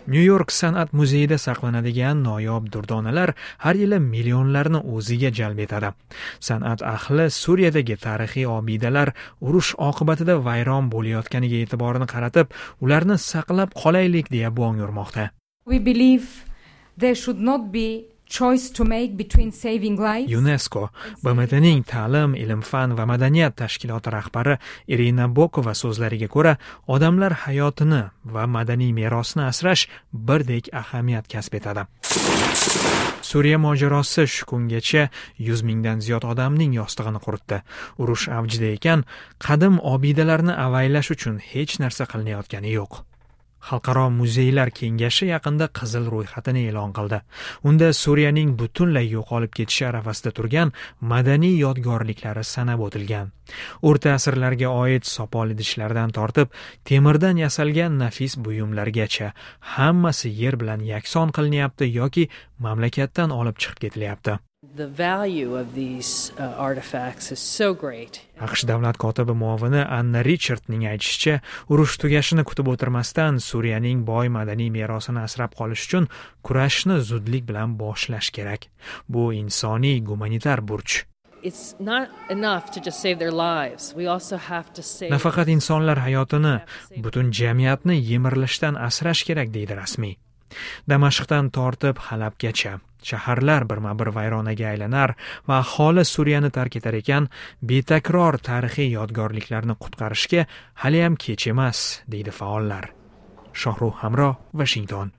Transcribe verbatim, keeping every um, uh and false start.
Nyu York san'at muzeyida saqlanadigan noyob durdonalar har yili millionlarni o'ziga jalb etadi. San'at ahli Suriyadagi tarixiy obidalar urush oqibatida vayron bo'layotganiga e'tiborini qaratib, ularni saqlab qolaylik deya bong urmoqda. We believe there should not be choice to make between saving lives. UNESCO, B M T ning ta'lim, ilm-fan va madaniyat tashkiloti rahbari Irina Bokova so'zlariga ko'ra, odamlar hayotini va madaniy merosni asrash birdek ahamiyat kasb etadi. Suriya mojarosi shu kungacha yuz mingdan ziyod odamning yostig'ini quritdi. Urush avjida ekan, qadim obidalarni avaylash uchun hech narsa qilinayotgani yo'q. Xalqaro muzeylar kengashi yaqinda qizil ro'yxatini e'lon qildi. Unda Suriyaning butunlay yo'qolib ketishi arafasida turgan madaniy yodgorliklari sanab o'tilgan. O'rta asrlarga oid sopol idishlardan tortib, temirdan yasalgan nafis buyumlargacha hammasi yer bilan yakson qilinyapti yoki mamlakatdan olib chiqib ketilyapti. The value of these, uh, artifacts is so great. A Q Sh davlat kotibi muovini Anna Richardning aytishicha, urush tugashini kutib o'tirmasdan Suriyaning boy madaniy merosini asrab qolish uchun kurashni zudlik bilan boshlash kerak. Bu insoniy gumanitar burch. It's not enough to just save their lives. We also have to save Nafaqat insonlar hayotini, butun jamiyatni yemirilishdan asrash kerak, deydi rasmiy. Damashqdan tortib Halabgacha shaharlar birma-bir vayronaga aylanar va aholi Suriyani tark etar ekan, betakror tarixiy yodgorliklarni qutqarishga haliyam kech emas, deydi faollar. Shohrux Hamro, Washington.